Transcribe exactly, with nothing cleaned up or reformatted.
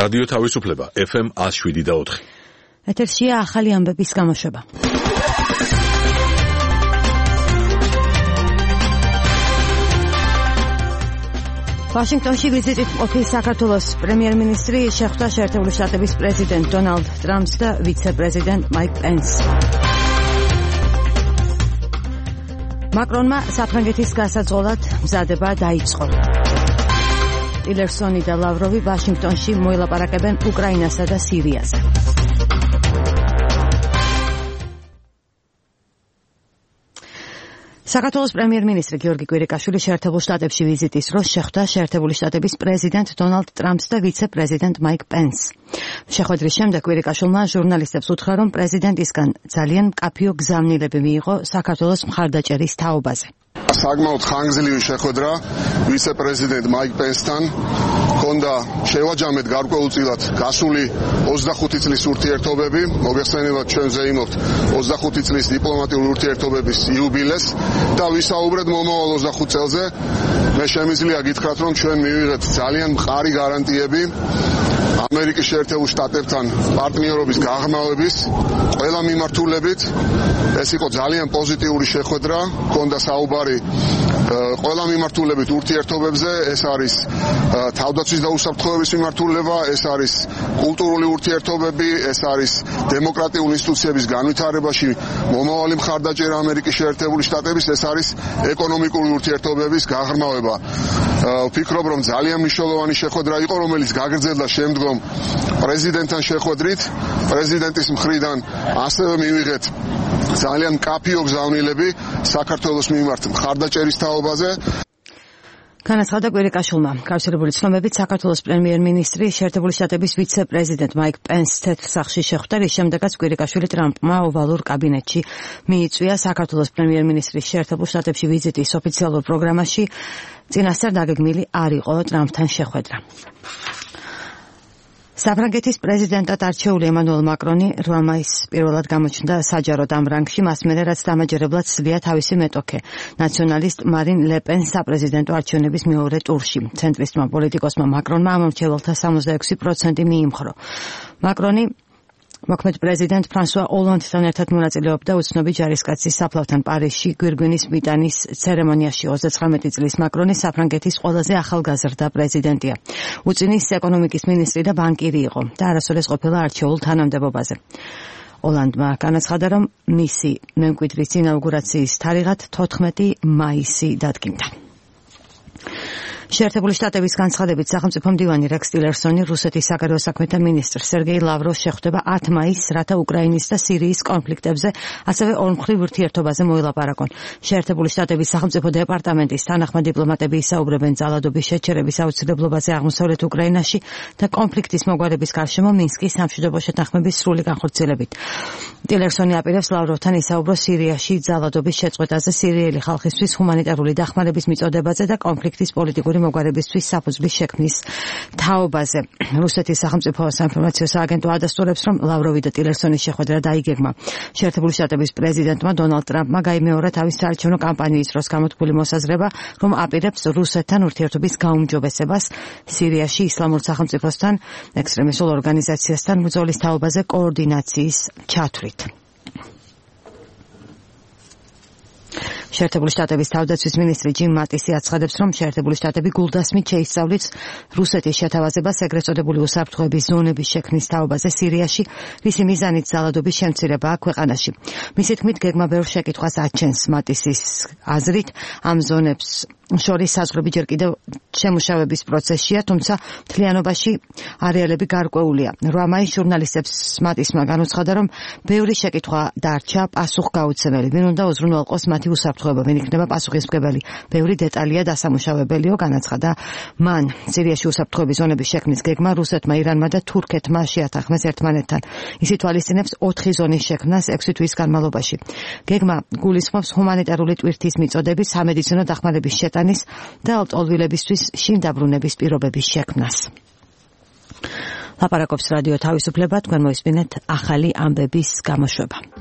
რადიო თავისუფლება ეფ ემ one oh seven და four. ეთერშია ახალი ამბების გამოშვება. ვაშინგტონში ვიზიტით მყოფი საქართველოს პრემიერ-მინისტრი შეხვდა შეერთებული შტატების პრეზიდენტ დონალდ ტრამპს და ვიცე-პრეზიდენტ მაიკ პენსს. მაკრონმა საფრანგეთის გასაძღოლად მზადება დაიწყო. ტილერსონი და ლავროვი ვაშინგტონში მოილაპარაკებენ უკრაინასა და სირიაზე. საქართველოს პრემიერ-მინისტრი გიორგი კვირიკაშვილი შეერთებულ შტატებში ვიზიტის დროს შეხვდა შეერთებული შტატების პრეზიდენტ დონალდ ტრამპს და ვიცე-პრეზიდენტ მაიკ პენსს. შეხვედრის შემდეგ კვირიკაშვილმა ჟურნალისტებს უთხრა, რომ პრეზიდენტისგან ძალიან მკაფიო გზავნილები მიიღო საქართველოს მხარდაჭერის თაობაზე. საკმაოდ ხანგრძლივი შეხვედრა ვიცე-პრეზიდენტ მაიკ პენსთან ჰქონდა შევაჯამეთ გარკვეულწილად გასული ოცდახუთი წლის ურთიერთობები. მოგეხსენებათ, ჩვენ ზეიმობთ ოცდახუთი წლის დიპლომატიური ურთიერთობების იუბილეს და ვისაუბრეთ მომავალ ოცდახუთ წელზე. მე შემიძლია გითხრათ, რომ ჩვენ მივიღეთ ძალიან მყარი გარანტიები ამერიკის შეერთებულ შტატებთან პარტნიორობის გაღრმავების ყველა მიმართულებით. ეს იყო ძალიან პოზიტიური შეხვედრა, ჰქონდა საუბარი ყველა მიმართულებით ურთიერთობებზე. ეს არის თავდაცვის და უსაფრთხოების მიმართულება, ეს არის კულტურული ურთიერთობები, ეს არის დემოკრატიული ინსტიტუციების განვითარებაში მომავალი მხარდაჭერა ამერიკის შეერთებული შტატების, ეს არის ეკონომიკური ურთიერთობების გაღრმავება. ვფიქრობ, რომ ძალიან მნიშვნელოვანი შეხვედრა იყო, რომელიც გაგრძელდა შემდგომ პრეზიდენტთან შეხვედრით. პრეზიდენტის მხრიდან ასევე მივიღეთ ძალიან მკაფიო გზავნილები საქართველოს მიმართ მხარდაჭერის თაობაზე. განაცხადა კვირიკაშვილმა. გავრცელებული ცნობებით საქართველოს პრემიერ-მინისტრი შეერთებული შტატების ვიცე-პრეზიდენტ მაიკ პენსს თეთრ სახლში შეხვდა, რის შემდეგაც კვირიკაშვილი ტრამპმა ოვალურ კაბინეტში მიიწვია. საქართველოს პრემიერ-მინისტრის შეერთებულ შტატებში ვიზიტის ოფიციალურ პროგრამაში წინასწარ დაგეგმილი არ იყო ტრამპთან შეხვედრა. საფრანგეთის პრეზიდენტად არჩეული ემანუელ მაკრონი რვა მაისს პირველად გამოჩნდა საჯაროდ ამ რანგში, მას მერე რაც დამაჯერებლად სძლია თავისი მეტოქე ნაციონალისტ მარინ ლე პენს საპრეზიდენტო არჩევნების მეორე ტურში. ცენტრისტმა პოლიტიკოსმა მაკრონმა ამომრჩეველთა სამოცდაექვსი პროცენტი მიიმხრო. მაკრონი მოქმედ პრეზიდენტ ფრანსუა ოლანდთან ერთად მონაწილეობდა უცნობი ჯარისკაცის საფლავთან პარიზში გვირგვინის მიტანის ცერემონიაში. ოცდათვრამეტი წლის მაკრონი საფრანგეთის ყველაზე ახალგაზრდა პრეზიდენტია. უწინის ეკონომიკის მინისტრი და ბანკირი იყო და არასოდეს ყოფილა არჩეულ თანამდებობაზე. ოლანდმა განაცხადა, რომ მისი მემკვიდრის ინაუგურაციის თარიღად თოთხმეტი მაისი დადგინდა. შეერთებული შტატების განცხადებით სახელმწიფო მდივანი რექს ტილერსონი რუსეთის საგარეო საქმეთა მინისტრ სერგეი ლავროვს შეხვდება ათ მაისს, რათა უკრაინის და სირიის კონფლიქტებზე, ასევე ორმხრივ ურთიერთობაზე მოილაპარაკონ. შეერთებული შტატების სახელმწიფო დეპარტამენტის თანახმად დიპლომატები ისაუბრებენ ძალადობის შეჩერების აუცილებლობაზე აღმოსავლეთ უკრაინაში და კონფლიქტის მოგვარების გარშემო მინსკის სამშვიდობო შეთანხმების სრული განხორციელებით. ტილერსონი აპირებს ლავროვთან ისაუბროს სირიაში ძალადობის შეწყვეტაზე, სირიელი ხალხისთვის ჰუმანიტარული დახმარების მიწოდებაზე და კონფლიქტის პოლიტიკური მოგვარებისთვის საფუძვლის შექმნის თაობაზე. რუსეთის სახელმწიფო საინფორმაციო სააგენტო ადასტურებს, რომ ლავროვი და ტილერსონის შეხვედრა დაიგეგმა. შეერთებული შტატების პრეზიდენტმა დონალდ ტრამპმა გაიმეორა თავის საარჩევნო კამპანიის დროს გამოთქმული მოსაზრება, რომ აპირებს რუსეთთან ურთიერთობის გაუმჯობესებას სირიაში ისლამურ სახელმწიფოსთან, ექსტრემისტულ ორგანიზაციასთან ბრძოლის თაობაზე კოორდინაციის ჩათვლით. შეერთებული შტატების თავდაცვის მინისტრი ჯიმ მატისი აცხადებს, რომ შეერთებული შტატები გულდასმით შეისწავლით რუსეთის შეთავაზებას ეგრეთ წოდებული უსაფრთხოების ზონების შექმნის თაობაზე სირიაში, რისი მიზანით ძალადობის შემცირებაა ქვეყანაში. მისი თქმით, გეგმა ბევრ შეკითხვას აჩენს. მატისის აზრით, ამ ზონებს შორის საზღვრები ჯერ კიდევ შემუშავების პროცესშია, თუმცა მთლიანობაში არეალები გარკვეულია. რვა მაისს ჟურნალისტებს მატისმა განუცხადა, რომ ბევრი შეკითხვა დარჩა პასუხგაუცემელი. ვინ უნდა უზრუნველყოს მათი უსაფრთხოება, ვინ იქნება პასუხისმგებელი. ბევრი დეტალია დასამუშავებელიო, განაცხადა მან. სირიაში უსაფრთხოების ზონების შექმნის გეგმა რუსეთმა, ირანმა და თურქეთმა შეათანხმეს ერთმანეთთან. ის ითვალისწინებს ოთხი ზონის შექმნას ექვსი თვის განმავლობაში. გეგმა გულისხმობს ჰუმანიტარული ტვირთის მიწოდების, სამედიცინო დახმარების შეტანის და ლტოლვილებისთვის შინ დაბრუნების პირობების შექმნას. ლაპარაკობს რადიო თავისუფლება, თქვენ მოისმინეთ ახალი ამბების გამოშვება.